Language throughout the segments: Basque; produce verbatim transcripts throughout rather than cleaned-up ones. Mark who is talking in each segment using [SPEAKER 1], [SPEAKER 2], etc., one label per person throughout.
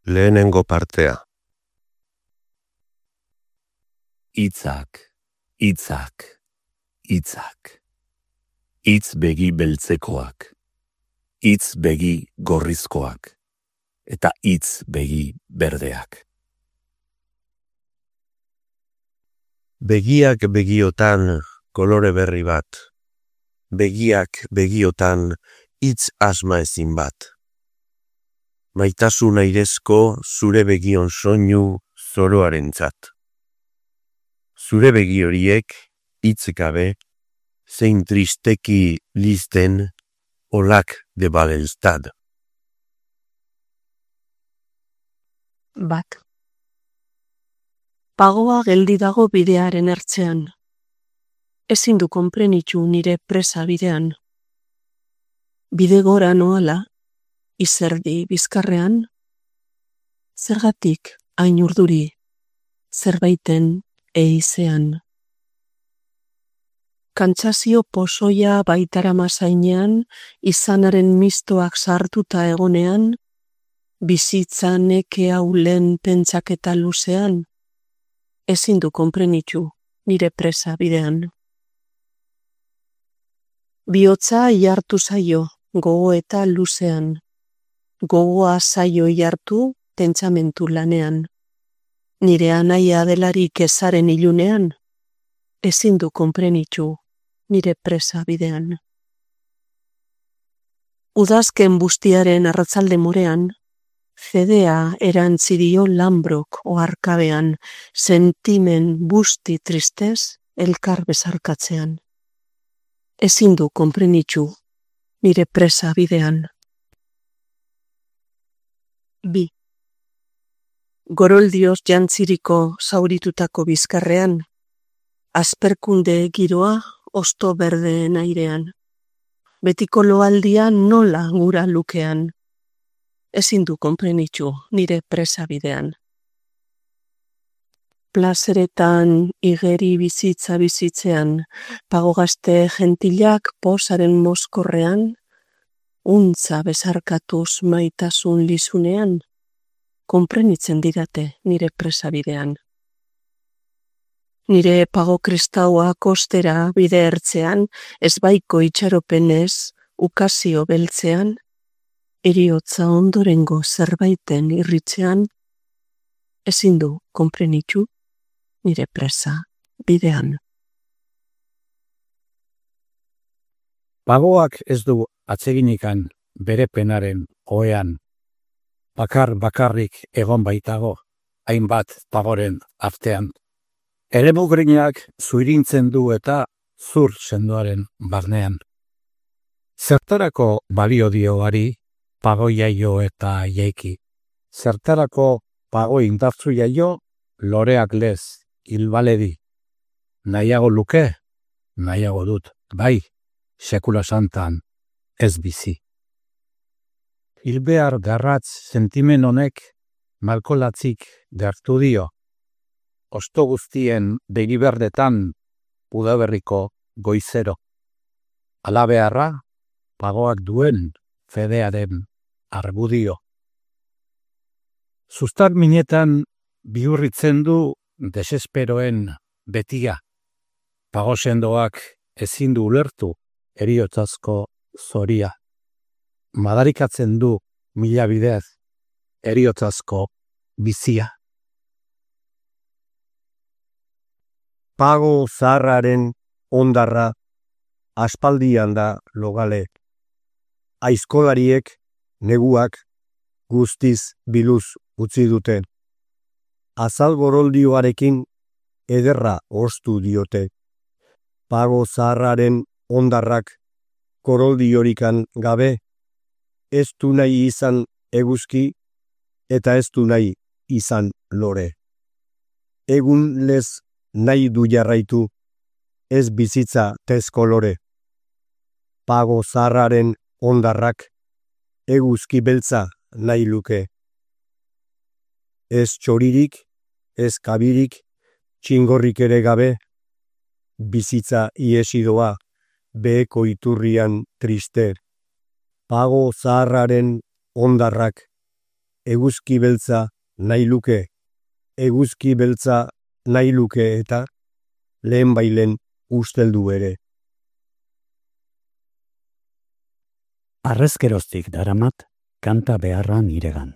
[SPEAKER 1] Lehenengo partea.
[SPEAKER 2] Hitzak, hitzak, hitzak. Hitz begi beltzekoak, hitz begi gorrizkoak, eta hitz begi berdeak.
[SPEAKER 1] Begiak begiotan kolore berri bat. Begiak begiotan hitz asma ezin bat. Maitasun airezko zure begion soinu zoroarentzat. Zure begi horiek hitz gabe, zein tristeki listen olak de Babelstad.
[SPEAKER 3] Bat. Pagoa geldi dago bidearen ertzean. Ezin du konprenitu nire presa bidean. Bide gora noala, izerdi bizkarrean, zergatik hain urduri, zerbaiten eizean. Kantsazio pozoia baitarama zainean, izanaren mistoak sartuta egonean, bizitza neke haulen pentsaketa luzean, ezin du konprenitu nire presa bidean. Bihotza ihartu zaio, gogo eta luzean. Gogoa zaio ihartu pentsamentu lanean. Nire anaia delarik ezaren ilunean, ezin du konprenitu nire presa bidean. Udazken bustiaren arratzalde morean, fedea erantzidio lambrok oharkabean, sentimen busti tristez elkar bezarkatzean. Ezin du konprenitu nire presa bidean. Bi. Goroldioz jantziriko zauritutako bizkarrean, asperkunde giroa osto berdeen airean. Betiko loaldia nola gura lukean. Ezin du konprenitu nire presa bidean. Plazeretan igeri bizitza bizitzean, pagogazte gentilak posaren mozkorrean, untza bezarkatuz maitasun lizunean, konprenitzen didate nire presa bidean. Nire pago kristaua kostera bide ertzean, ezbaiko itxaropenez, ukazio beltzean, eriotza ondorengo zerbaiten irritzean, ezin du konprenitu nire presa bidean.
[SPEAKER 4] Pagoak ez du atseginikan bere penaren ohean, bakar bakarrik egon baitago, hainbat pagoren artean. Eremugrinak zuirintzen du eta zur sendoaren barnean. Zertarako balio dioari pago jaio eta jaiki. Zertarako pago indartzu jaio loreak lez hilbaledi. Nahiago luke, nahiago dut, bai, sekula santan ez bizi. Hilbear garratz sentimen honek malkolatzik gertu dio. Osto guztien begiberdetan udaberriko goizero. Alabearra, pagoak duen fedearen argudio. Zuztar minetan bihurritzen du desesperoen betia. Pago sendoak ezin du ulertu heriotzazko zoria. Madarikatzen du mila bidez heriotzazko bizia.
[SPEAKER 5] Pago zaharraren ondarra aspaldian da logale. Aizkolariek neguak guztiz biluz utzi dute. Azal goroldioarekin ederra ostu diote. Pago zaharraren ondarrak goroldiorik gabe ez du nahi izan eguzki eta ez du nahi izan lore. Egun lez nahi du jarraitu, ez bizitza tezko lore. Pago zaharraren ondarrak eguzki beltza nahi luke. Ez txoririk, ez kabirik, txingorrik ere gabe, bizitza iesidoa beheko iturrian triste. Pago zaharraren ondarrak eguzki beltza nahi luke, eguzki beltza nahi luke eta lehen bailen usteldu ere.
[SPEAKER 2] Arrezkeroztik daramat, kanta beharra niregan.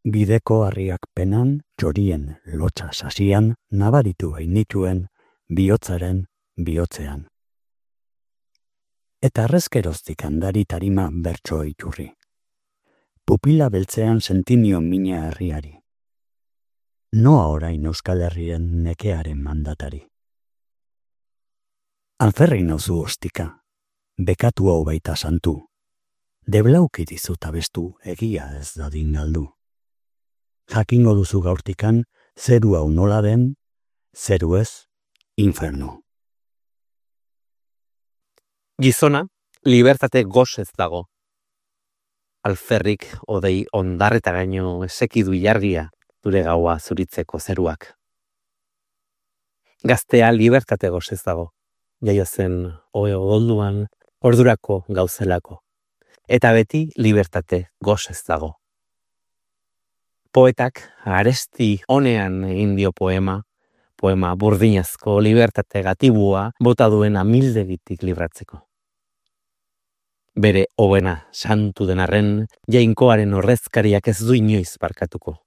[SPEAKER 2] Bideko harriak penan, txorien lotxa sasian, nabaritu hainituen, bihotzaren bihotzean. Eta arrezkeroztik handari tarima bertso iturri. Pupila beltzean sentinio mina herriari. Noa orain Euskal Herrien nekearen mandatari. Alferri nauzu ostika, bekatu hau baita santu. Deblauki dizut abestu egia ez dadin galdu. Jakingo duzu gaurtikan, zeru hau nola den, zeru ez, infernu.
[SPEAKER 6] Gizona, libertate gozez dago. Alferrik odei ondarreta gaino esekidu jargia dure gaua zuritzeko zeruak. Gaztea libertate gozez dago, jaio zen ohe odolduan ordurako gauzelako. Eta beti libertate gozez dago. Poetak aresti honean egin dio poema, poema burdinazko libertate gatibua bota duen amildegitik libratzeko. Bere hobena santu denarren, jainkoaren horrezkariak ez du inoiz barkatuko.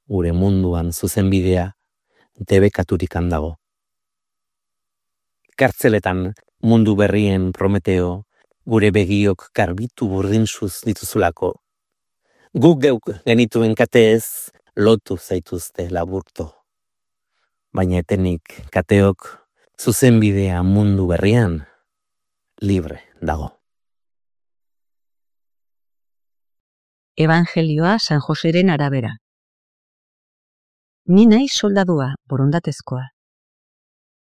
[SPEAKER 6] Gure munduan zuzenbidea debekaturik handago. Kartzeletan mundu berrien Prometeo, gure begiok karbitu burdinzuz dituzulako. Guk geuk genituen kateez lotu zaituzte laburto. Baina etenik kateok zuzenbidea mundu berrian libre dago.
[SPEAKER 7] Evangelioa San Joseren arabera. Ni naiz soldadua borondatezkoa.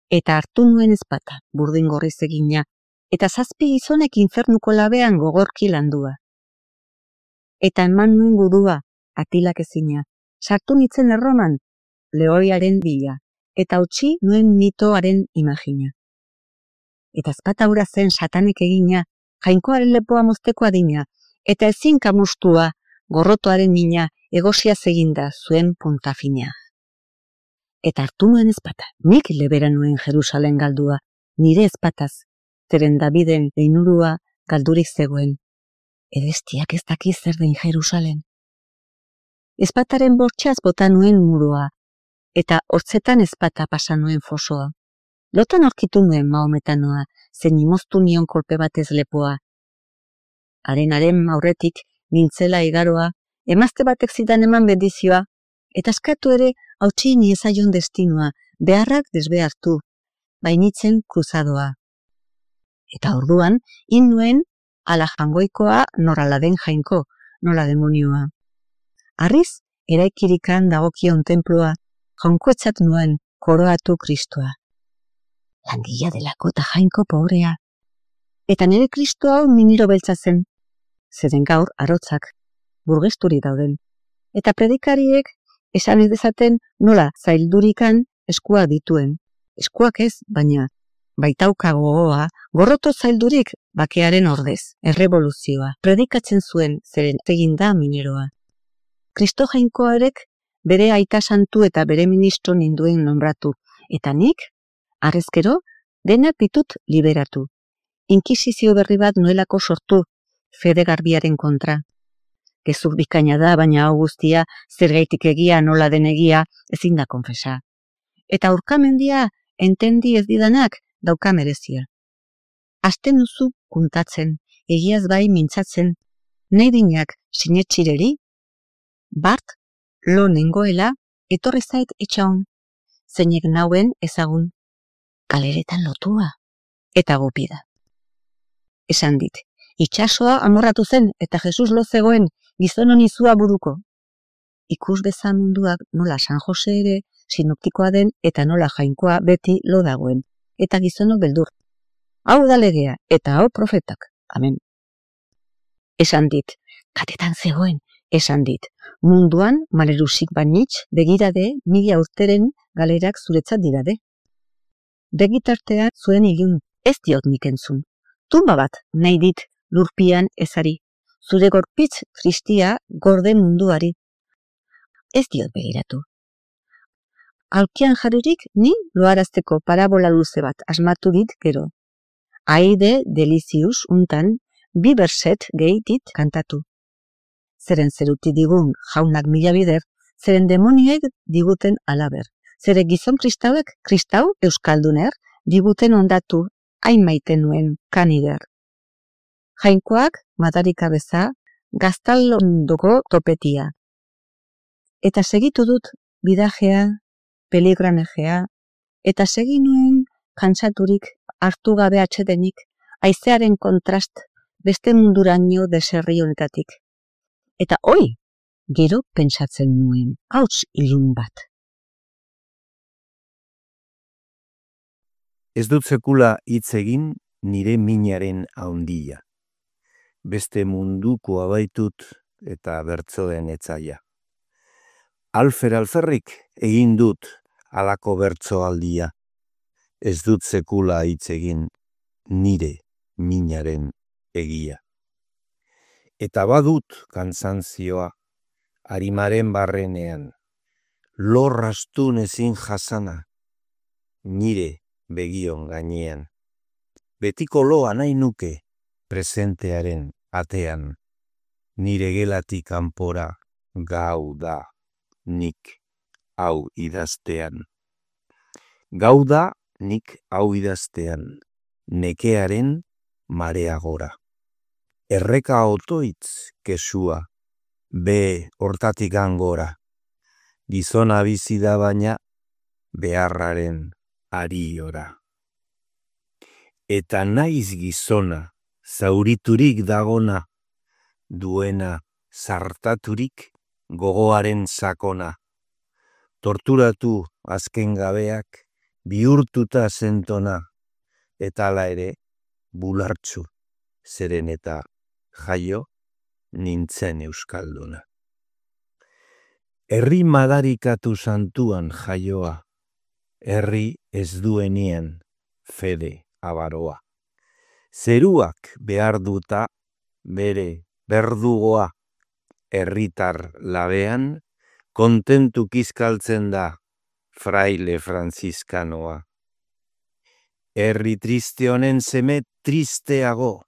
[SPEAKER 7] Eta hartu nuen ezpata burdin gorriz egina, eta zazpi gizonek infernuko labean gogorki landua. Eta eman nuen gudua, atilak ezina, sartu nitzen erroman, lehoiaren bila, eta utzi nuen mitoaren imagina. Eta ezpata hura zen satanek egina, jainkoaren lepoa mozteko adina, eta ezin kamustua, gorrotoaren mina, egosia eginda zuen puntafina. Eta hartu nuen ezpata, nik lebera nuen Jerusalen galdua, nire ezpataz, zeren Daviden leinurua galdurik zegoen. Edestiak ez daki zer den Jerusalen. Ezpataren bortxaz bota nuen murua, eta hortzetan ezpata pasa nuen fosoa. Lotan aurkitu nuen Mahometanoa, zen imoztu nion kolpe batez lepoa. Haren-haren aurretik nintzela igaroa, emazte batek zidan eman bendizioa, eta eskatu ere hautsi niezaion destinua, beharrak desbehartu, bainitzen kruzadoa. Eta orduan, in nuen ala jangoikoa norala den jainko, nola demonioa. Arriz, eraikirikan dagokion tenplua, jaunkoetzat nuen koroatu Kristoa. Langila delako eta jainko pobrea. Eta nire Kristo hau miniro beltza zen, zeren gaur arotzak, burgesturi dauden. Eta predikariek esan ez dezaten nola zaildurikan eskuak dituen. Eskuak ez, baina baitauka gogoa, gorroto zaildurik bakearen ordez, errevoluzioa. Predikatzen zuen zeren egin da mineroa. Kristo jainkoarek bere aita santu eta bere ministro ninduen nombratu, eta nik, arrezkero, denak ditut liberatu. Inkisizio berri bat nuelako sortu, fede garbiaren kontra. Gezur bikaina da, baina hau guztia, zergaitik egia nola den egia, ezin da konfesa. Eta aurkamendia, entendi ez didanak, dauka merezia. Azten duzu kuntatzen, egiaz bai mintzatzen, nahi dinak sinetxireri, bart, lo nengoela, etorri zait etxaun, zeinek nauen ezagun, kaleretan lotua, eta gupida. Esan dit, itxasoa amorratu zen eta Jesus lo zegoen gizon honizua buruko. Ikus bezan munduak nola San Jose ere sinoptikoa den eta nola jainkoa beti lo dagoen, eta gizonok beldur. Hau da legea eta hau profetak, amen. Esan dit, katetan zegoen, esan dit, munduan malerusik banitz begirade mila urteren galerak zuretzat dirade. Begitartea zuen ilun, ez diot nik entzun. Tumba bat nahi dit lurpian ezari, zure gorpitz kristia gorde munduari. Ez diot begiratu. Alkian jarririk ni loarazteko parabola luze bat asmatu dit gero. Aide delizius untan bi berset gehi dit kantatu. Zeren zeruti digun jaunak mila bider, zeren demonioek diguten alaber. Zere gizon kristauek kristau euskalduner diguten ondatu hain maite nuen kanider. Jainkoak madarika beza gaztalondoko topetia. Eta segitu dut bidajea, peligranejea, eta segi nuen kantsaturik hartu gabe atsedenik, haizearen kontrast beste munduraino deserri honetatik. Eta oi, gero pentsatzen nuen, hauts ilun bat.
[SPEAKER 1] Ez dut sekula hitz egin nire minaren haundia. Beste munduko abaitut eta bertzoen etzaia. Alfer alferrik egin dut alako bertzoaldia. Ez dut sekula hitz egin nire minaren egia. Eta badut kantzantzioa arimaren barrenean, lorrastun ezin jasana, nire begion gainean. Betiko loa nahi nuke presentearen atean, nire gelatik kanpora gau da nik hau idaztean. Gau da nik hau idaztean, nekearen marea gora. Erreka otoitz kesua, be hortatik angora. Gizona bizi da baina beharraren ariora. Eta naiz gizona, zauriturik dagona, duena zartaturik gogoaren sakona. Torturatu azken gabeak, bihurtuta zentona, eta hala ere bulartzu, zeren eta jaio nintzen euskalduna. Herri madarikatu santuan jaioa, herri ez duenien fede abaroa. Zeruak behar duta bere berdugoa, herritar labean kontentu kizkaltzen da fraile franziskanoa. Herri triste honen seme tristeago,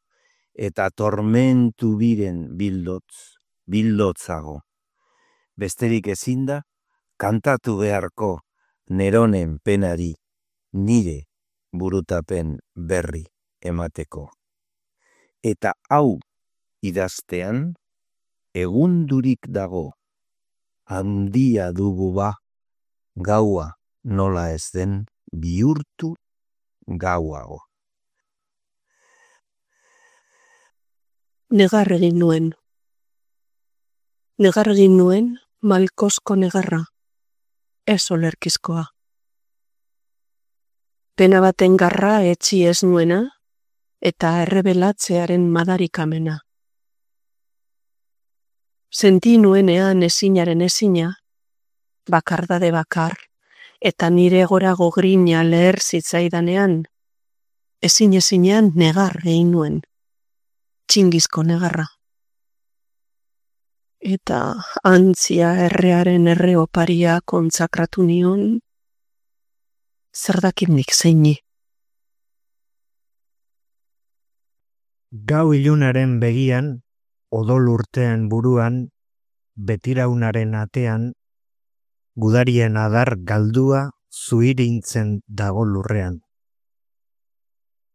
[SPEAKER 1] eta tormentu biren bildotz, bildotzago. Besterik ezin da, kantatu beharko neronen penari, nire burutapen berri emateko. Eta hau idaztean, egundurik dago, handia dugu ba, gaua nola ez den bihurtu gauago.
[SPEAKER 3] Negar egin nuen. Negar egin nuen malkosko negarra, ez olerkizkoa. Pena baten garra etzi ez nuena, eta errebelatzearen madarikamena. Senti nuenean ezinaren ezina, bakardade bakar, eta nire gorago grina leher zitzaidanean, ezin ezinean negar egin nuen, txingizko negarra. Eta antzia errearen erre oparia kontsakratu nion, zer dakimnik zeini.
[SPEAKER 2] Gau ilunaren begian, odol urtean buruan, betiraunaren atean, gudarien adar galdua zuirintzen dago lurrean.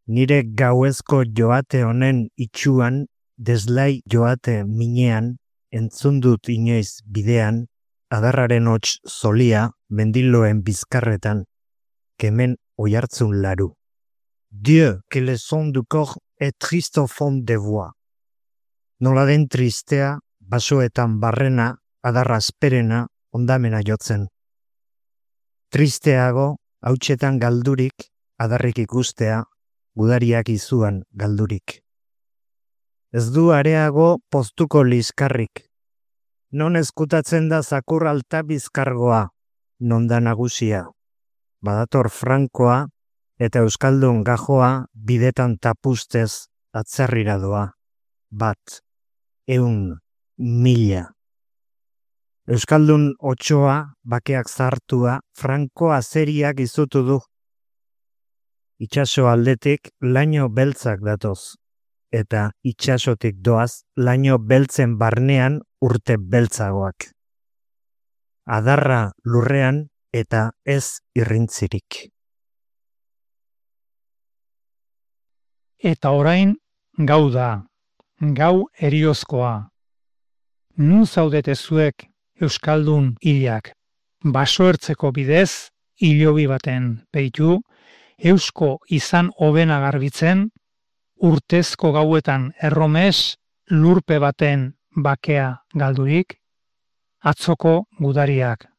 [SPEAKER 2] Nire gauezko joate honen itxuan, deslai joate minean, entzundut inoiz bidean, adarraren hots zolia mendiloen bizkarretan, kemen oihartzun laru. Dieu, que le son du corps est triste au fond de voix. Nola den tristea, basoetan barrena, adarra asperena, ondamena jotzen. Tristeago, hautsetan galdurik, adarrik ikustea, gudariak izuan galdurik. Ez du areago poztuko liskarrik. Non ezkutatzen da zakur alta bizkargoa, non da nagusia. Badator frankoa eta euskaldun gajoa bidetan tapustez atzerrira doa. Bat,
[SPEAKER 8] eun, mila. Euskaldun otsoa, bakeak zartua, franko azeriak izutu du. Itxaso aldetik laino beltzak datoz, eta itxasotik doaz laino beltzen barnean urte beltzagoak. Adarra lurrean eta ez irrintzirik.
[SPEAKER 9] Eta orain gau da, gau eriozkoa. Nun zaudete zuek euskaldun hilak, basoertzeko bidez, hilobi baten peitu, eusko izan hobena garbitzen, urtezko gauetan erromes, lurpe baten bakea galdurik, atzoko gudariak.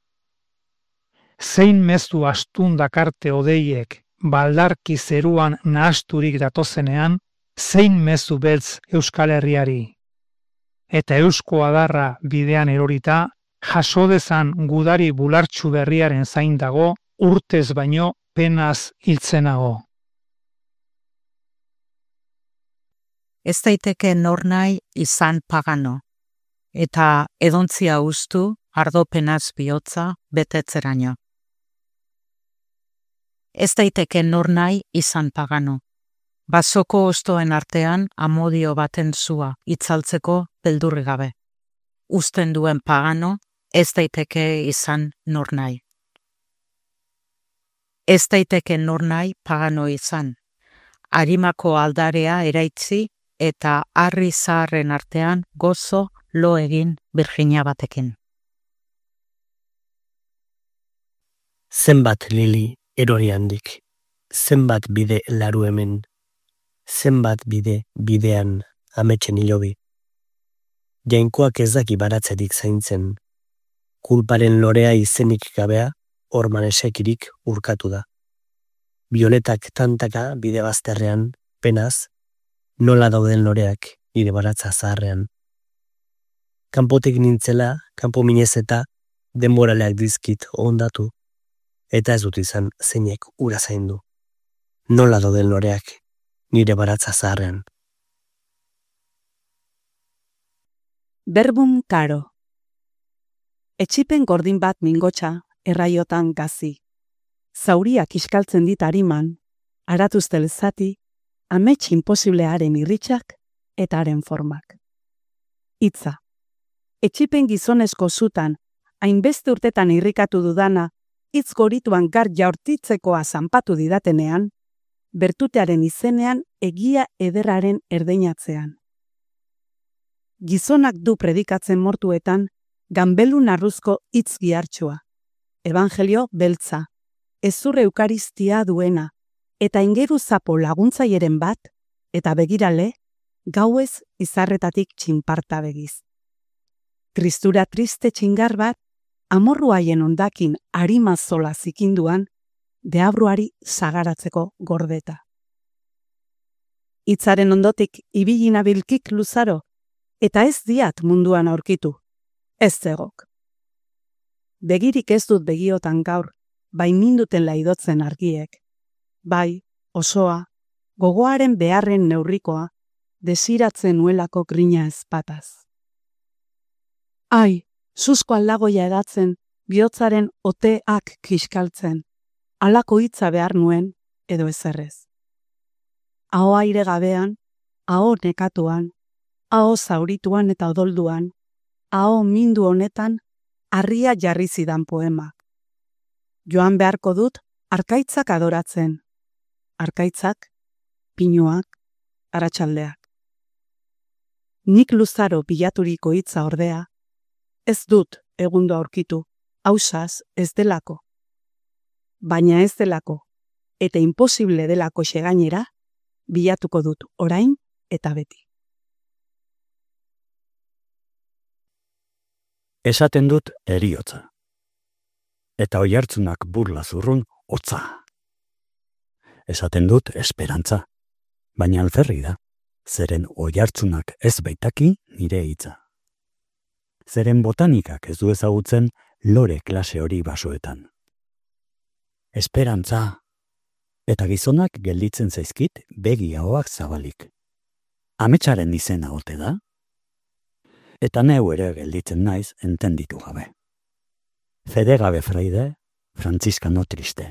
[SPEAKER 9] Zein mezu astun dakarte odeiek baldarki zeruan nahasturik datozenean, zein mezu beltz Euskal Herriari. Eta eusko adarra bidean erorita, jasodezan gudari bulartxu berriaren zain dago, urtez baino penaz hiltzenago.
[SPEAKER 10] Ez daiteke nor nahi izan pagano, eta edontzia ustu ardopenaz bihotza betetzeraino. Ez daiteke nor nahi izan pagano, basoko ostoen artean amodio baten zua itzaltzeko beldurri gabe. Uzten duen pagano, ez daiteke izan nor nahi. Ez daiteke nor nahi pagano izan, harimako aldarea eraitzi eta harri zaharren artean gozo lo egin Virginia batekin.
[SPEAKER 11] Zenbat lili erori handik, zenbat bide laru hemen, zenbat bide bidean ametsen hilobi. Jainkoak ez daki baratzerik zaintzen, kulparen lorea izenik gabea orman esekirik urkatu da. Bioletak tantaka bide bazterrean, penaz, nola dauden loreak nire baratza zaharrean. Kanpotik nintzela, kanpo minez eta denboraleak dizkit ondatu, eta ez dut izan zeinek ura zaindu. Nola dauden loreak nire baratza zaharrean.
[SPEAKER 12] Berbum karo. Etxipen gordin bat mingotxa, erraiotan gazi. Zauriak iskaltzen dit hariman, aratuztel zati, amets imposiblearen irritxak eta haren formak. Hitza. Etxipen gizonezko zutan, hainbeste urtetan irrikatu dudana, hitz gorituan gar jaurtitzekoa zanpatu didatenean, bertutearen izenean egia ederraren erdeinatzean. Gizonak du predikatzen mortuetan, ganbelun arruzko hitz gihartxua, evangelio beltza, ezur eukaristia duena, eta ingeru zapo laguntzaieren bat, eta begirale, gauez izarretatik txinparta begiz. Tristura triste txingar bat, amorru haien ondakin harima zola zikinduan, deabruari zagaratzeko gordeta. Hitzaren ondotik ibilina bilkik luzaro, eta ez diat munduan aurkitu, ez zegok. Begirik ez dut begiotan gaur, bai minduten laidotzen argiek. Bai, osoa, gogoaren beharren neurrikoa, desiratzen nuelako grina ezpataz. Ai, zuzko aldagoia edatzen, bihotzaren oteak kiskaltzen, halako hitza behar nuen edo ezerrez. Aho aire gabean, aho nekatuan, aho zaurituan eta odolduan, aho mindu honetan, harria jarri zidan poemak. Joan beharko dut, arkaitzak adoratzen. Arkaitzak, pinuak, aratsaldeak. Nik luzaro bilaturiko hitza ordea, ez dut egundo aurkitu, hausaz ez delako. Baina ez delako, eta imposible delako xegainera, bilatuko dut orain eta beti.
[SPEAKER 2] Esaten dut eriotza. Eta oihartzunak burla zurrun hotza. Esaten dut esperantza, baina alferri da, zeren oihartzunak ez baitaki nire hitza. Zeren botanikak ez du ezagutzen lore klase hori basoetan. Esperantza, eta gizonak gelditzen zaizkit begi ahoak zabalik. Ametsaren izena ote da? Eta neu ere gelditzen naiz entenditu gabe. Fede gabe fraide, frantziskano triste.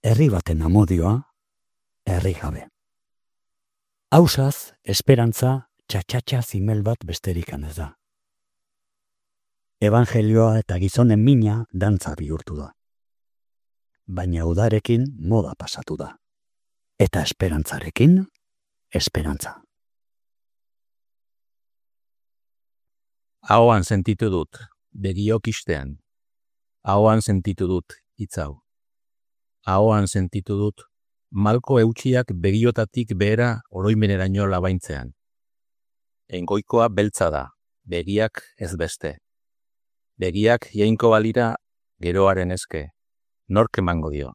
[SPEAKER 2] Herri baten amodioa, herri gabe. Hausaz, esperantza, txatxatxa zimel bat besterikan ez da. Evangelioa eta gizonen mina dantza bihurtu da. Baina udarekin moda pasatu da. Eta esperantzarekin, esperantza.
[SPEAKER 13] Ahoan sentitu dut, begiok istean. Ahoan sentitu dut, hitzau. Ahoan sentitu dut, malko eutxiak begiotatik behera oroimeneraino labaintzean. Engoikoa beltza da, begiak ez beste. Begiak jainko balira geroaren eske, nork emango dio.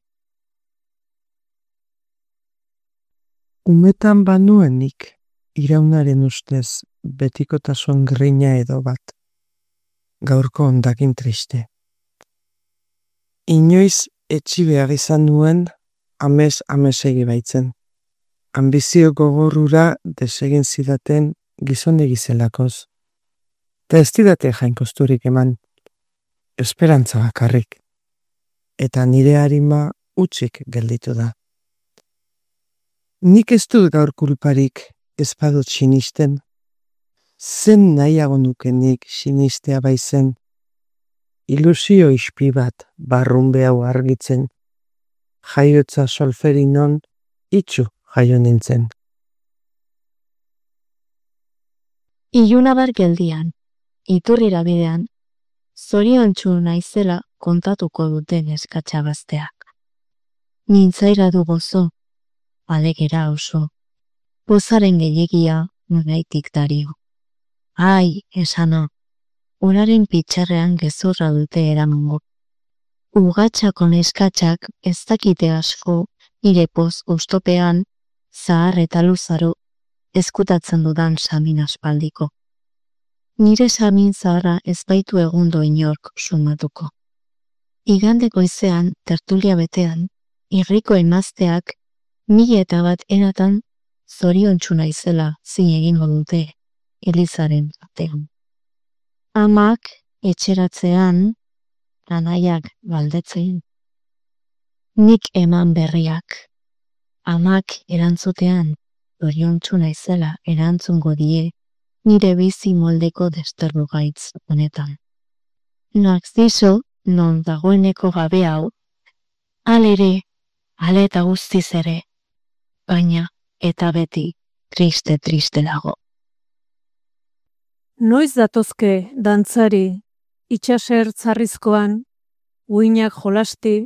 [SPEAKER 14] Umetan banuenik, iraunaren ustez, betikotasun grina edo bat. Gaurko ondakin triste. Inoiz etxi behar izan nuen, amez amesegi baitzen. Ambizio gogorrura desegin zidaten gizonegi zelakoz. Ta ez didate jainkosturik eman. Esperantza bakarrik. Eta nire harima utzik gelditu da. Nik ez dut gaur kulparik ez badut sinisten. Zen nahiago nukenik sinistea baizen. Ilusio ispi bat barrunbe hau argitzen. Jaiotza solferinon itxu jaio nintzen.
[SPEAKER 15] Ilunabar geldian, iturrira bidean, zoriontsu naizela kontatuko duten eskatxabazteak. Nintzaira du gozo, alegera oso, pozaren gehiagia nunaitik dario. Ai, esano, uraren pitxarrean gezurra dute eramango. Ugatxako neskatxak ez dakite asko nire poz ustopean, zahar eta luzaro, eskutatzen dudan samin aspaldiko. Nire samin zaharra ez baitu egundo inork sumatuko. Igande goizean, tertulia betean, irriko emazteak, mila eta bat eratan, zoriontsu naizela zin egingo dute, Elizaren batean. Amak, etxeratzean, anaiak baldetzen. Nik eman berriak. Amak erantzutean, zoriontsu naizela erantzungo die, nire bizi moldeko desterru gaitz honetan. Narziso, non dagoeneko gabe hau, alere, ale eta guztiz ere, baina eta beti triste-triste dago.
[SPEAKER 16] Noiz datozke dantzari, itxaser tzarrizkoan, uinak jolasti,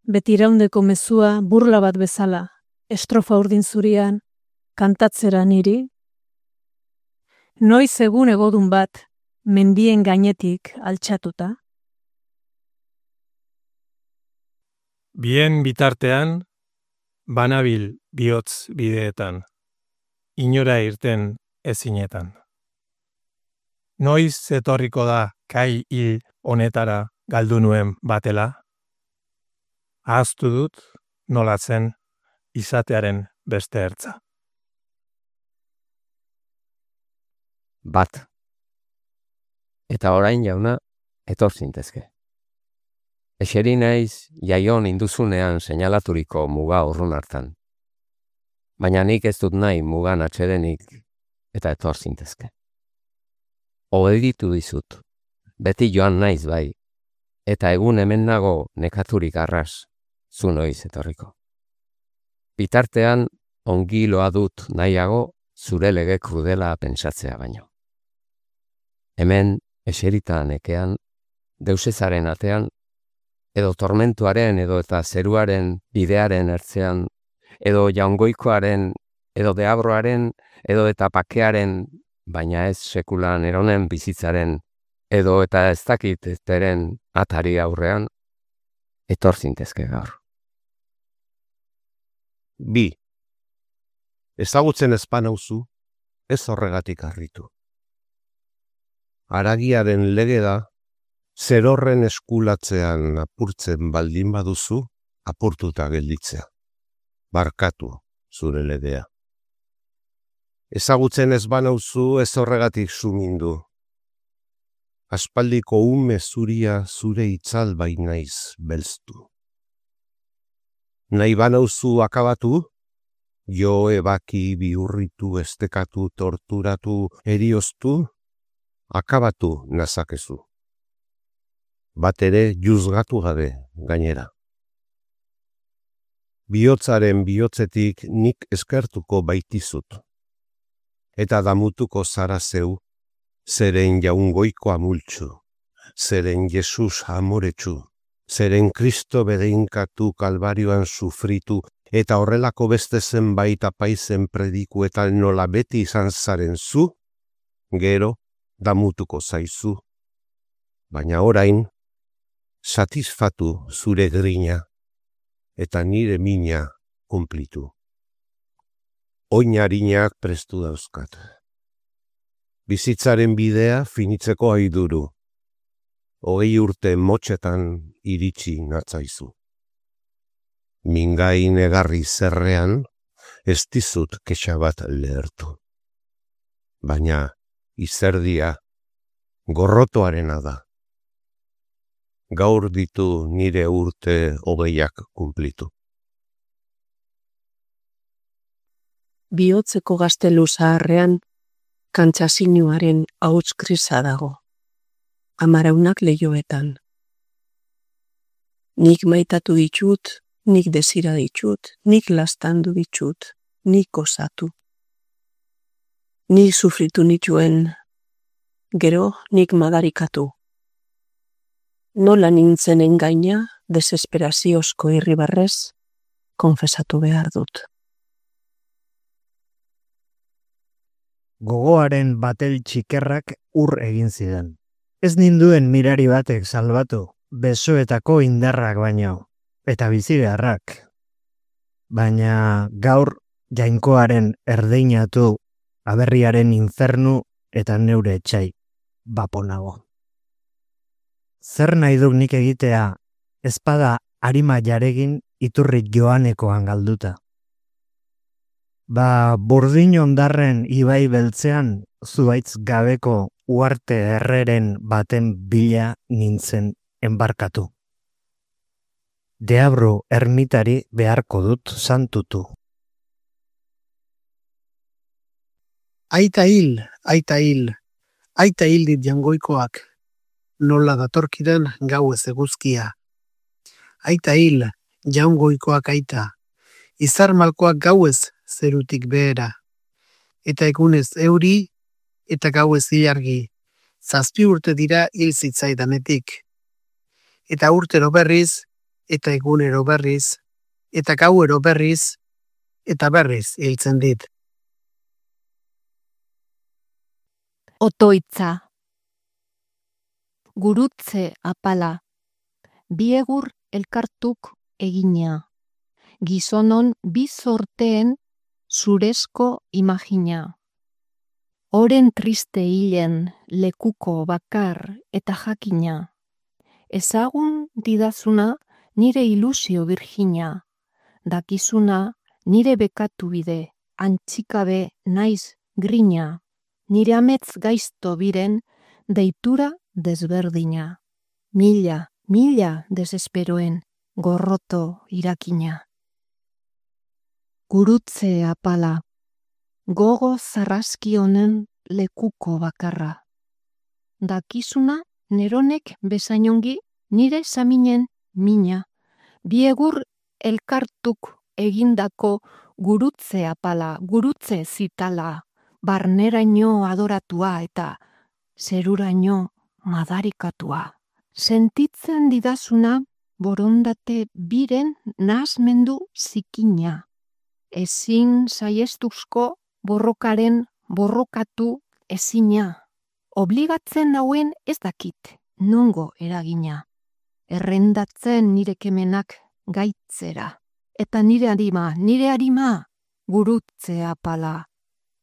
[SPEAKER 16] beti iraundeko mezua burla bat bezala, estrofa urdin zurian, kantatzera niri? Noiz egun egodun bat, mendien gainetik altxatuta?
[SPEAKER 17] Bien bitartean, banabil bihotz bideetan, inora irten ezinetan. Noiz etorriko da kai hil honetara galdu nuen batela? Ahaztu dut nolatzen izatearen beste ertza.
[SPEAKER 18] Bat. Eta orain jauna, etor zintezke. Eseri naiz jaion induzunean seinalaturiko muga urrun hartan. Baina nik ez dut nahi mugan atxedenik eta etor zintezke. Obeditu dizut, beti joan naiz bai, eta egun hemen nago nekaturik arras, zu noiz etorriko. Bitartean, ongi loa dut nahiago zure lege krudela pentsatzea baino. Hemen, eserita nekean, deusezaren atean, edo tormentuaren edo eta zeruaren bidearen ertzean, edo jaungoikoaren, edo deabroaren, edo eta pakearen, baina ez sekulan eronen bizitzaren, edo eta ez dakit ezteren atari aurrean, etor zintezke gaur.
[SPEAKER 1] Bi. Ezagutzen ezpan hauzu, ez horregatik harritu. Haragiaren lege da, zerorren eskulatzean apurtzen baldin baduzu, apurtuta gelditzea. Barkatu zure legea. Ezagutzen ez banauzu ez horregatik sumindu, aspaldiko ume zuria zure itzal bai naiz belztu. Nahi banauzu akabatu, jo ebaki bihurritu, estekatu, torturatu, erioztu, akabatu nazakezu. Bat ere juzgatu gabe gainera. Bihotzaren bihotzetik nik eskertuko baitizut. Eta damutuko zara zeu, zeren jaungoiko amultzu, zeren Jesus amoretsu, zeren Kristo bedeinkatu kalbarioan sufritu, eta horrelako beste zenbait apaizen predikuetan nola beti izan zaren zu, gero damutuko zaizu. Baina orain, satisfatu zure grina, eta nire mina kumplitu. Oinarinak prestu dauzkat. Bizitzaren bidea finitzeko aiduru. Hogei urte motxetan iritsi natzaizu. Mingain egarri zerrean, ez dizut kexa bat lehertu. Baina izerdia gorrotoarena da. Gaur ditu nire urte hogeiak kumplitu.
[SPEAKER 3] Bihotzeko gaztelu zaharrean, kantxasinuaren hauts grisa dago. Amaraunak lehioetan. Nik maitatu ditut, nik desira ditut, nik lastandu ditut, nik osatu. Nik sufritu nituen, gero nik madarikatu. Nola nintzen engaina, desesperaziozko irribarrez, konfesatu behar dut.
[SPEAKER 8] Gogoaren batel txikerrak ur egin zidan. Ez ninduen mirari batek salbatu, besoetako indarrak baino, eta bizibeharrak. Baina gaur jainkoaren erdeinatu, aberriaren infernu eta neure etxai, baponago. Zer nahi duk nik egitea, ezpada arima jaregin iturrik joanekoan galduta. Ba, burdin ondarren ibai beltzean, zuaitz gabeko uarte erreren baten bila nintzen enbarkatu. Deabru ermitari beharko dut santutu.
[SPEAKER 19] Aita hil, aita hil, aita hil dit jangoikoak, nola datorkidan gau ez eguzkia. Aita hil, jaungoikoak aita, izar malkoak gauez zerutik behera. Eta egunez euri, eta gauez ilargi, zazpi urte dira hil zitzaidanetik. Eta urtero berriz, eta egunero berriz, eta gauero berriz, eta berriz hiltzen dit.
[SPEAKER 15] Otoitza. Gurutze apala. Biegur elkartuk egina. Gizonon bi sorteen zurezko imagina. Oren triste hilen lekuko bakar eta jakina. Ezagun didazuna nire ilusio virgina. Dakizuna nire bekatu bide, antxikabe naiz grina. Nire ametz gaizto biren deitura desberdina. Mila, mila desesperoen gorroto irakina. Gurutze apala, gogo zarraski honen lekuko bakarra. Dakizuna neronek bezainongi nire saminen mina. Biegur elkartuk egindako gurutze apala, gurutze zitala, barneraino adoratua eta zeruraino madarikatua. Sentitzen didazuna borondate biren nahasmendu zikina. Ezin saiestuzko borrokaren borrokatu ezina. Obligatzen hauen ez dakit, nongo eragina. Errendatzen nire kemenak gaitzera. Eta nire arima, nire arima, gurutze apala.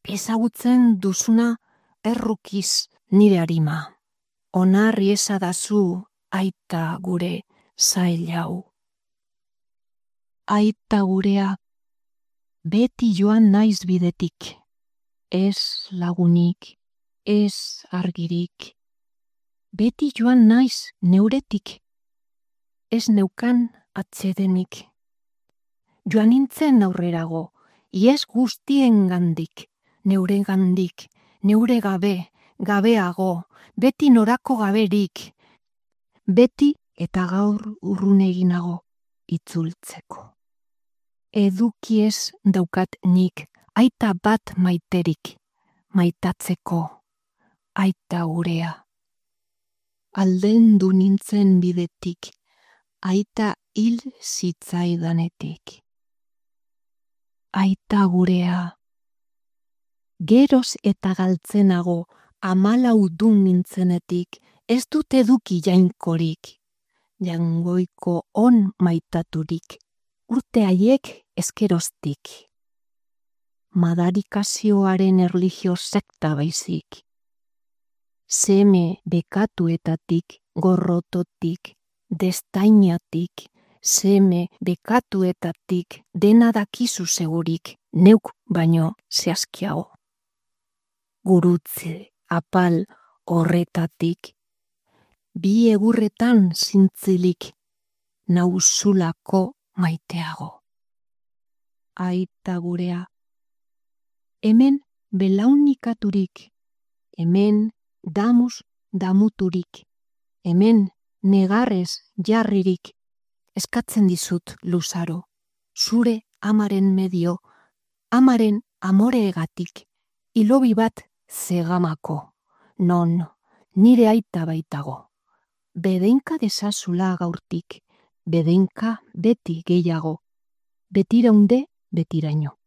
[SPEAKER 15] Ezagutzen duzuna errukiz nire arima. Onarri esadazu aita gure zailau. Aita gurea, beti joan naiz bidetik. Ez lagunik, ez argirik. Beti joan naiz neuretik. Ez neukan atsedenik. Joan nintzen aurrerago, ies guztien gandik, neure gandik, neure gabe, gabeago, beti norako gaberik, beti eta gaur urruneginago itzultzeko. Edukiez daukat nik, aita bat maiterik, maitatzeko, aita gurea. Aldendu nintzen bidetik, aita hil zitzaidanetik. Aita gurea. Geroz eta galtzenago amalau dun nintzenetik, ez dut eduki jainkorik, jangoiko on maitaturik, urte haiek eskeroztik. Madarikazioaren erlijio sekta baizik. Seme bekatuetatik, gorrototik, destainatik, seme bekatuetatik, dena dakizu segurik, neuk baino zehazkiago. Gurutze, apal horretatik, bi egurretan zintzilik, nauzulako maiteago. Aita gurea. Hemen belaunikaturik, hemen damus damuturik, hemen negarrez jarririk, eskatzen dizut luzaro, zure amaren medio, amaren amoreegatik, ilobi bat zegamako, non nire aita baitago. Bedeinka desazula gaurtik, bedeinka beti gehiago, betiraunde betiraino.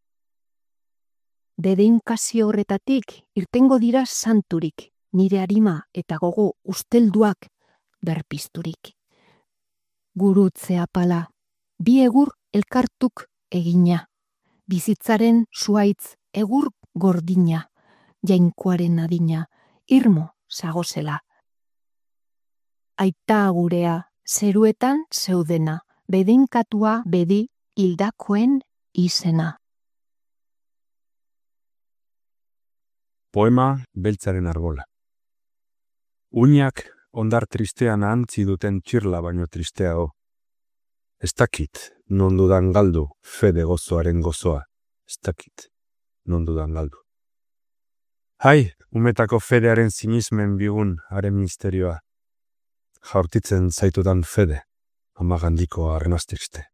[SPEAKER 15] Bedeinkazio horretatik irtengo dira santurik, nire arima eta gogo ustelduak berpizturik. Gurutze apala, bi egur elkartuk egina, bizitzaren zuaitz egur gordina, jainkoaren adina, irmo zagozela. Aita gurea, zeruetan zeudena, bedeinkatua bedi hildakoen izena.
[SPEAKER 20] Poema beltzaren argola. Uinak ondar tristean ahantzi duten txirla baino tristeago. Ez dakit non dudan galdu fede gozoaren gozoa. Ez dakit non dudan galdu. Hai, umetako fedearen sinismen bigun haren misterioa. Jaurtitzen zaitudan fede, amagandiko arnaztexte.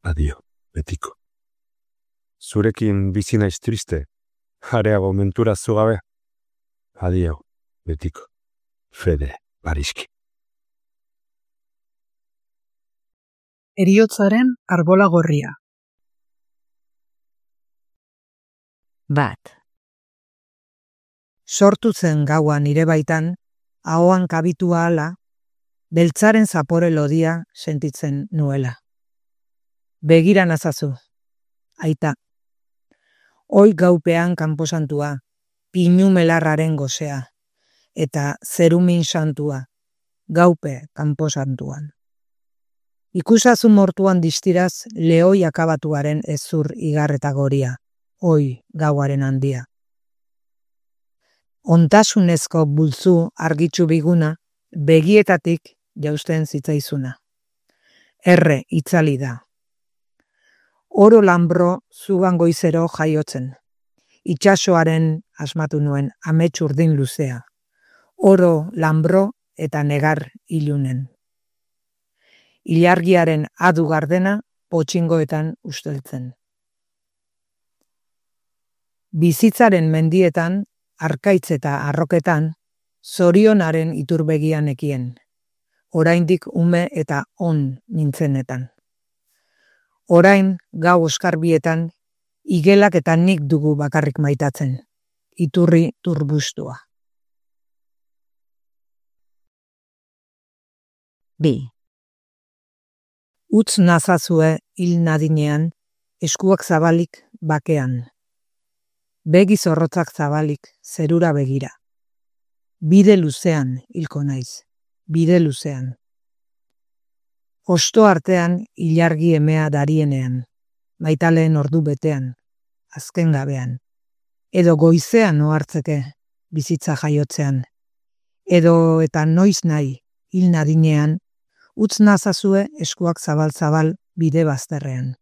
[SPEAKER 20] Adio, betiko. Zurekin bizi naiz triste, jareago mentura zugabe. Adio, betiko. Fede, Bariski.
[SPEAKER 21] Heriotzaren arbola gorria.
[SPEAKER 7] Bat.
[SPEAKER 8] Sortu zen gaua nire baitan, ahoan kabitua ala, beltzaren zapore lodia sentitzen nuela. Begira nazazu, aita. Hoi gaupean kanposantua, pinu melarraren gozea, eta zerumin santua, gaupe kanposantuan. Ikusazu mortuan distiraz lehoi akabatuaren ezur igarreta goria, hoi gauaren handia. Ontasunezko bultzu argitsu biguna, begietatik jausten zitzaizuna. Erre itzali da. Oro lanbro zugan goizero jaiotzen. Itxasoaren asmatu nuen amets urdin luzea. Oro lanbro eta negar ilunen. Ilargiaren adu gardena potxingoetan usteltzen. Bizitzaren mendietan, arkaitz eta arroketan, zorionaren iturbegian ekien. Oraindik ume eta on nintzenetan. Orain gau oskarbietan, igelak eta nik dugu bakarrik maitatzen. Iturri turbustua.
[SPEAKER 7] Bi.
[SPEAKER 8] Utz nazazue hil nadinean, eskuak zabalik bakean. Begi zorrotzak zabalik, zerura begira. Bide luzean hilko naiz, bide luzean. Osto artean ilargi emea darienean, maitaleen ordu betean, azken gabean. Edo goizean ohartzeke, bizitza jaiotzean.
[SPEAKER 21] edo eta noiz nahi, hil nadinean, utz nazazue eskuak zabal-zabal bide bazterrean.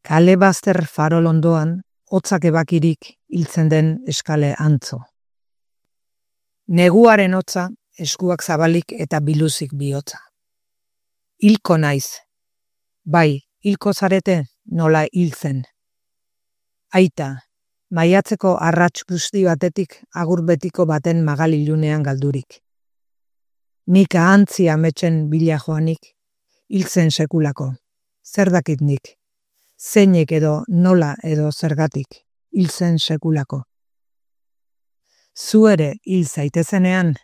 [SPEAKER 21] Kale bazter farol ondoan, hotzak ebakirik hiltzen den eskale antzo. Neguaren hotza, eskuak zabalik eta biluzik bihotza. Hilko naiz. Bai, hilko zarete nola hiltzen. Aita, maiatzeko arrats guzti batetik agur betiko baten magalilunean galdurik. Nik ahantzi ametsen bila joanik, hiltzen sekulako. Zer dakit nik? Zeinek edo nola edo zergatik, hiltzen sekulako. Zu ere hil zaitezenean,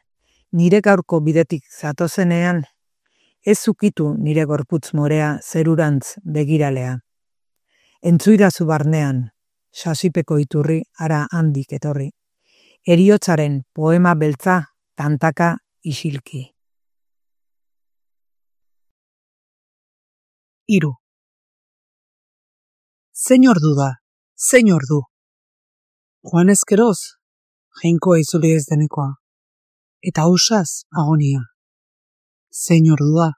[SPEAKER 21] nire gaurko bidetik zatozenean, ez ukitu nire gorputz morea zerurantz begiralea. Entzuidazu barnean, sasipeko iturri ara handik etorri. Heriotzaren poema beltza tantaka isilki. Hiru. Zein ordu da, zein ordu. Joan ezkeroz, jainkoa izuli ez denekoa. Eta ausaz agonia. Zein ordu da.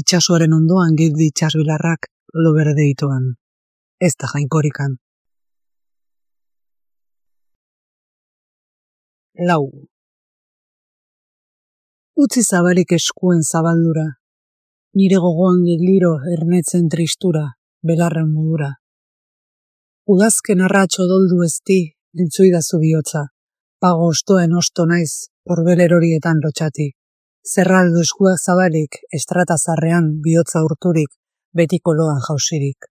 [SPEAKER 21] Itxasoaren ondoan girdi itxasbilarrak lo berde itoan. Ez da jainkorikan. Lau. Utzi zabalik eskuen zabaldura. Nire gogoan geliro ernetzen tristura, belarren modura. Udazken arratxo doldu ezti, entzuidazu bihotza. Pago ostoen osto naiz, horbel erorietan lotxati. Zerraldo eskuak zabalik, estratazarrean bihotza urturik, betiko loan jausirik.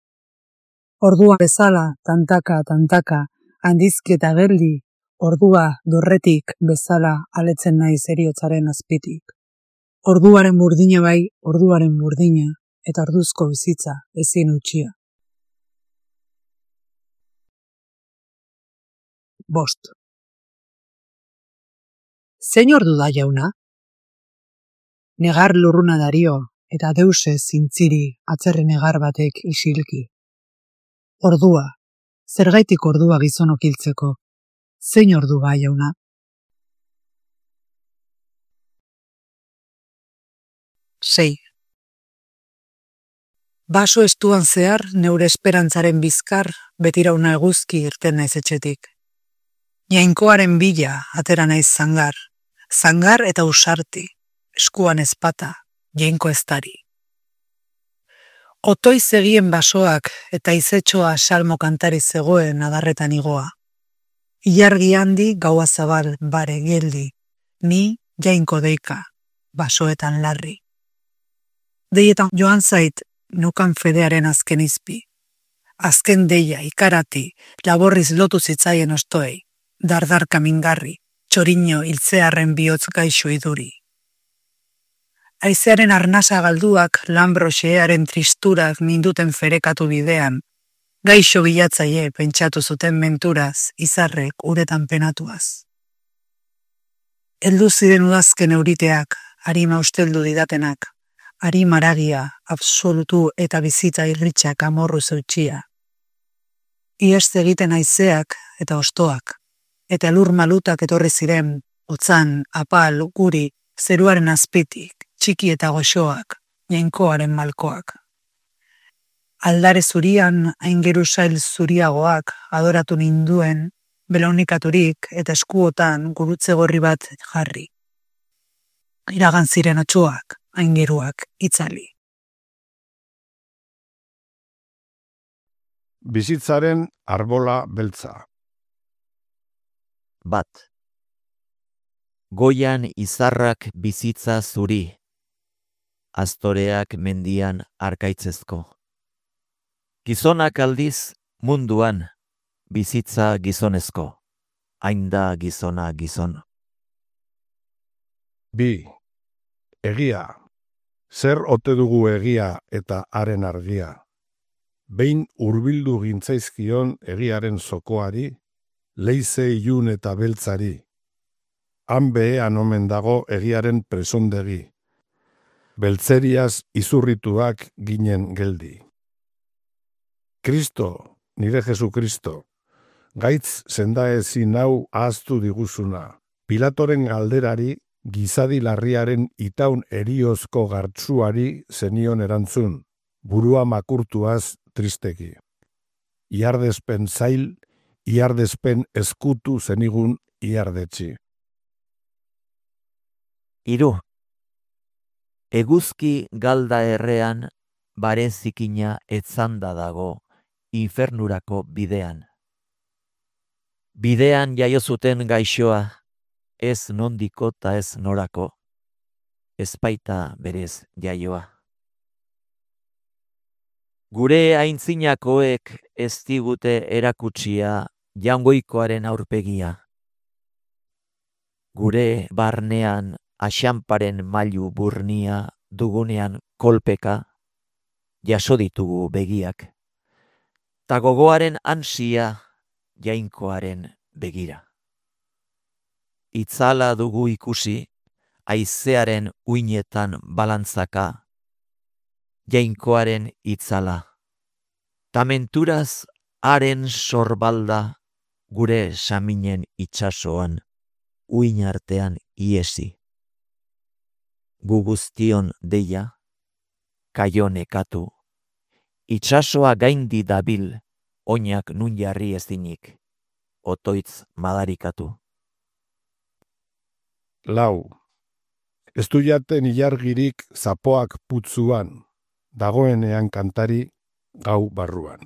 [SPEAKER 21] Ordua bezala, tantaka, tantaka, handizki eta geldi, ordua dorretik bezala aletzen naiz heriotzaren azpitik. Orduaren burdina bai, orduaren burdina, eta orduzko bizitza ezin utxia. Bost. Zein ordu da jauna? Negar lurruna dario, eta deuse zintziri atzerri negar batek isilki. Ordua, zergaitik ordua gizonok hiltzeko. Zein ordu ba jauna? Sei. Baso estuan zehar, neure esperantzaren bizkar, betirauna eguzki irten naiz etxetik. Jainkoaren bila atera naiz zangar, zangar eta usarti, eskuan ezpata, jainko eztari. Otoiz egien basoak eta izetxoa salmo kantari zegoen adarretan igoa. Ilargi handi gaua zabal bare geldi, ni jainko deika, basoetan larri. Deietan joan zait, nukan fedearen azken izpi. Azken deia, ikarati, laborriz lotu zitzaien ostoei, dardarka mingarri, txoriño hiltzearen bihotz gaixo iduri. Aizearen arnasa galduak lambroxearen tristurak ninduten ferekatu bidean, gaixo bilatzaile pentsatu zuten menturaz, izarrek uretan penatuaz. Heldu ziren udazken euriteak, harima usteldu didatenak, ari maragia, absolutu eta bizitza irritxak amorru zeutxia. Iest egiten haizeak eta ostoak, eta lur malutak etorri ziren, otzan, apal, guri, zeruaren azpitik, txiki eta goxoak, jainkoaren malkoak. Aldare zurian, aingerusail zuriagoak, adoratu ninduen, belaunikaturik eta eskuotan gurutze gorri bat jarri. Iragan ziren otxoak, aingeruak, itzali.
[SPEAKER 4] Bizitzaren arbola beltza.
[SPEAKER 22] Bat. Goian izarrak bizitza zuri, astoreak mendian arkaitzezko. Gizonak aldiz munduan, bizitza gizonezko, hain da gizona gizon.
[SPEAKER 4] Bi. Egia. Zer ote dugu egia eta haren argia? Behin hurbildu gintzaizkion egiaren zokoari, leize ilun eta beltzari. Han behean omen dago egiaren presondegi. Beltzeriaz izurrituak ginen geldi. Kristo, nire Jesu Kristo, gaitz sendaezin hau ahaztu diguzuna, Pilatoren galderari, gizadi larriaren itaun eriozko gartzuari zenion erantzun, burua makurtuaz tristeki. Iardespen zail, iardespen eskutu zenigun iardetxi.
[SPEAKER 22] Hiru. Eguzki galda errean, barenzikina etzanda dago, infernurako bidean. Bidean jaio zuten gaixoa, ez nondiko ta ez norako, ez baita berez jaioa. Gure aintzinakoek ez digute erakutsia jaungoikoaren aurpegia. Gure barnean axanparen mailu burnia dugunean kolpeka, jaso ditugu begiak, ta gogoaren ansia jainkoaren begira. Itzala dugu ikusi, haizearen uinetan balantzaka, jainkoaren itzala. Ta menturaz haren sorbalda gure saminen itsasoan, uin artean iesi. Gu guztion deia, kaio nekatu, itsasoa gaindi dabil, oinak nun jarri ezinik, otoitz madarikatu.
[SPEAKER 4] Lau. Ez du jaten ilargirik zapoak putzuan, dagoenean kantari gau barruan.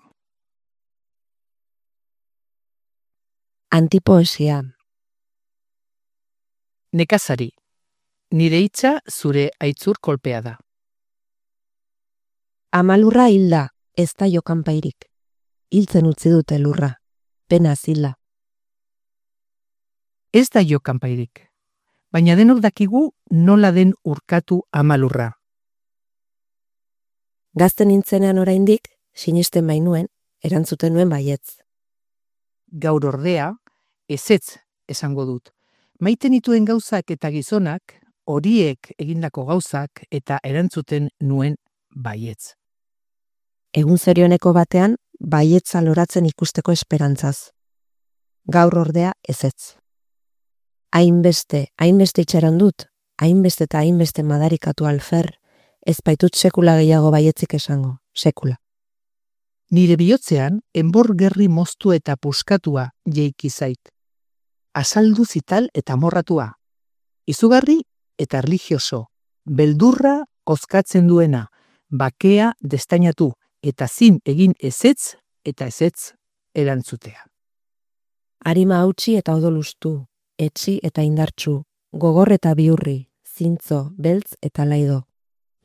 [SPEAKER 3] Antipoesia.
[SPEAKER 5] Nekazari, nire hitza zure aitzur kolpea da.
[SPEAKER 3] Amalurra hilda, ez da jokanpairik. Hiltzen utzi dute lurra, pena zila.
[SPEAKER 5] Ez da jokanpairik, baina denok dakigu nola den urkatu amalurra.
[SPEAKER 3] Gazten nintzenean oraindik, sinisten bainuen, erantzuten nuen baietz.
[SPEAKER 5] Gaur ordea, ezetz esango dut. Maite nituen gauzak eta gizonak, horiek egindako gauzak eta erantzuten nuen baietz.
[SPEAKER 3] Egun zerioneko batean, baietza loratzen ikusteko esperantzaz. Gaur ordea ezetz. Hainbeste, hainbeste itxaron dut, hainbeste eta hainbeste madarikatu alfer, ez baitut sekula gehiago baietzik esango, sekula.
[SPEAKER 5] Nire bihotzean, enbor gerri moztu eta puskatua jeiki zait. Azaldu zital eta morratua. Izugarri eta erlijioso, beldurra ozkatzen duena, bakea destainatu eta zin egin ezetz eta ezetz erantzutea.
[SPEAKER 3] Arima hautsi eta odolustu, etxi eta indartsu, gogor eta biurri, zintzo, beltz eta laido.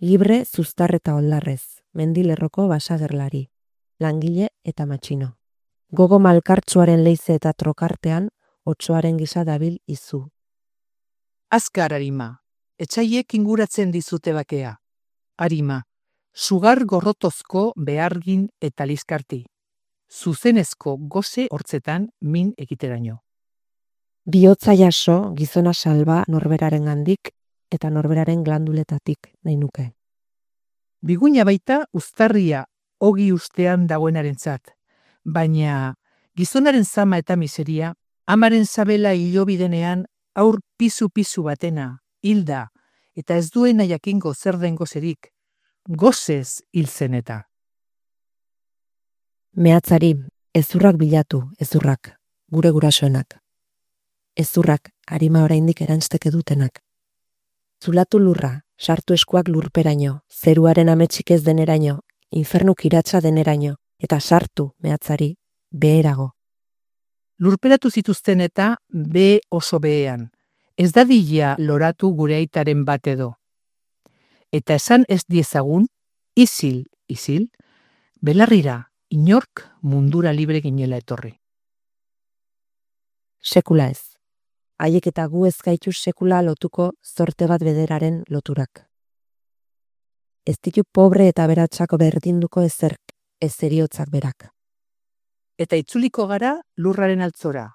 [SPEAKER 3] Libre, zuztar eta oldarrez, mendilerroko basagerlari, langile eta matxino. Gogo malkartsuaren leize eta trokartean, otsoaren gisa dabil izu.
[SPEAKER 5] Azkar, Arima, etxaiek inguratzen dizute bakea. Arima, sugar gorrotozko behargin eta liskarti. Zuzenezko goze hortzetan min egiteraino.
[SPEAKER 3] Bihotza jaso, gizona salba norberaren gandik eta norberaren glanduletatik nahi nuke.
[SPEAKER 5] Biguina baita uztarria ogi ustean dagoenarentzat, baina gizonaren zama eta miseria, amaren zabela hilobidenean aur pizu-pizu batena, hilda, eta ez duena jakingo zer den gozerik, gozez hiltzen eta.
[SPEAKER 3] Mehatzari, ezurrak bilatu, ezurrak, gure gurasoenak. Ezurrak, Arima oraindik erantzteke dutenak. Zulatu lurra, sartu eskuak lurperaino, zeruaren ametsik ez deneraino, infernu kiratsa deneraino, eta sartu, mehatzari, beherago.
[SPEAKER 5] Lurperatu zituzten eta be oso behean, ez dadila loratu gure aitaren bat edo. Eta esan ez diezagun, izil, izil, belarrira, inork mundura libre ginela etorri.
[SPEAKER 3] Sekula ez. Haiek eta gu ez gaitu sekula lotuko zorte bat bederaren loturak. Ez ditu pobre eta beratxako berdinduko ezerk, ez eriotzak berak.
[SPEAKER 5] Eta itzuliko gara lurraren altzora.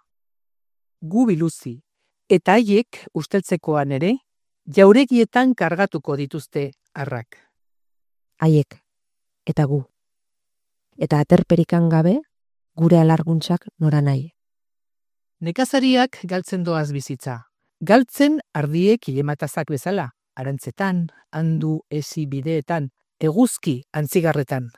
[SPEAKER 5] Gu biluzi, eta haiek usteltzekoan ere, jauregietan kargatuko dituzte arrak.
[SPEAKER 3] Haiek, eta gu. Eta aterperikan gabe, gure alarguntzak nora nahi.
[SPEAKER 5] Nekazariak galtzen doaz bizitza, galtzen ardiek ilematazak bezala, arantzetan, handu ezi bideetan, eguzki antzigarretan.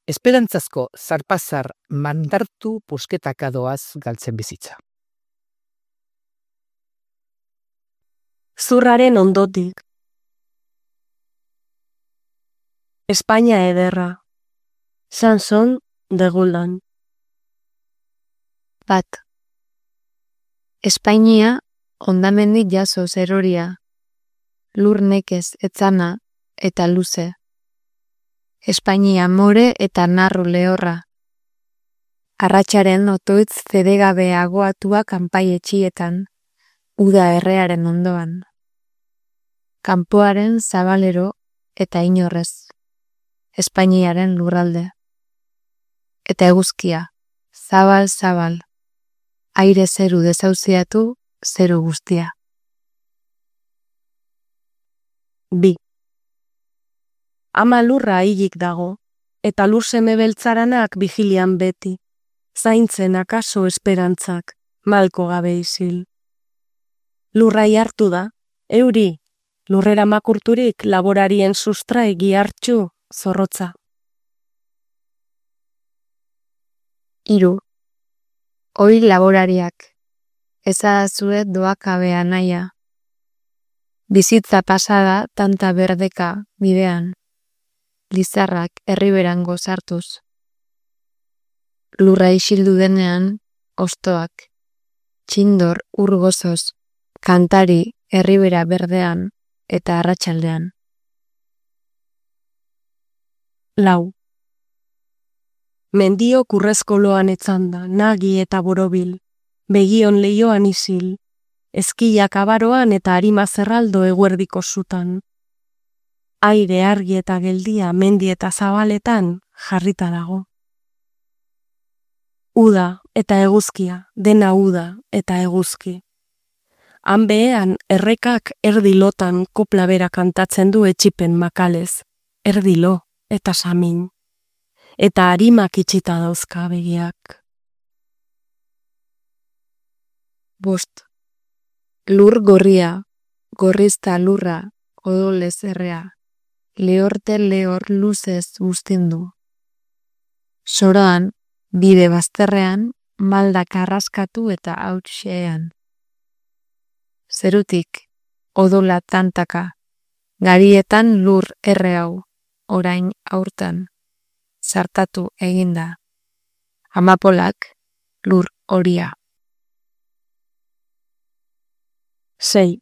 [SPEAKER 5] Esperantzazko zarpazar mandartu pusketaka doaz galtzen bizitza.
[SPEAKER 6] Zurraren ondotik. Espainia ederra. Sanson de Guldan.
[SPEAKER 9] Bat. Espainia hondamendik jaso zeroria, lur nekez etzana eta luze. Espainia more eta narru lehorra. Arratxaren otoitz zedegabe agoatua kanpai etxietan, uda errearen ondoan. Kanpoaren zabalero eta inorrez. Espainiaren lurralde. Eta eguzkia, zabal-zabal. Aire zeru dezauziatu, zeru guztia.
[SPEAKER 6] Bi. Ama lurra hilik dago, eta lur seme beltzaranak vigilian beti, zaintzen akaso esperantzak, malko gabe isil. Lurrai hartu da, euri, lurrera makurturik laborarien sustrai gihartxu zorrotza.
[SPEAKER 9] Hiru. Hoi laborariak, ezadazuet doakabea naia. Bizitza pasada tanta berdeka bidean, lizarrak herriberan gozartuz. Lurra isildu denean, ostoak, txindor urgozoz, kantari herribera berdean eta arratsaldean.
[SPEAKER 6] Lau. Mendio kurrezkoloan etzanda, nagi eta borobil, begion leioan isil, ezkiak abaroan eta arima zerraldo eguerdiko zutan. Aire argi eta geldia mendi eta zabaletan jarrita dago. Uda eta eguzkia, dena uda eta eguzki. Han behean errekak erdilotan kopla bera kantatzen du etxipen makalez, erdilo eta samin. Eta harimak itxita dauzka begiak.
[SPEAKER 9] Bost. Lur gorria, gorrizta lurra, odolez errea, lehorte lehor luzez guztindu. Soroan, bide bazterrean, maldak arraskatu eta hautxean. Zerutik, odola tantaka, garietan lur erre hau, orain aurtan. Zartatu eginda. Amapolak, lur horia.
[SPEAKER 6] Sei.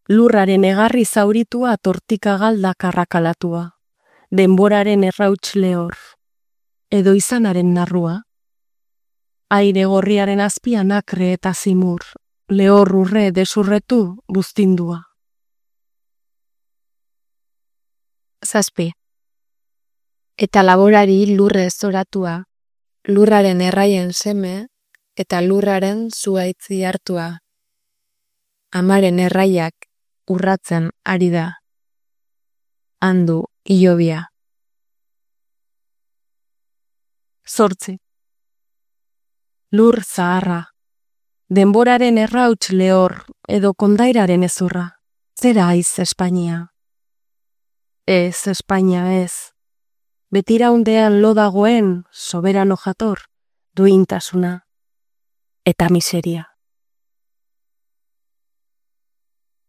[SPEAKER 6] Lurraren egarri zauritua tortika galdak arrakalatua. Denboraren errauts lehor. Edo izanaren narrua. Aire gorriaren azpian akre eta zimur. Lehor urre desurretu buztindua.
[SPEAKER 9] Zazpi. Eta laborari lurre zoratua, lurraren erraien seme eta lurraren zuaitzi hartua. Amaren erraiak urratzen ari da. Handu ilobia.
[SPEAKER 6] Zortzi. Lur zaharra. Denboraren errauts lehor edo kondairaren ezurra. Zera aiz Espainia. Ez Espainia ez. Betiraundean lo dagoen soberano jator, duintasuna eta miseria.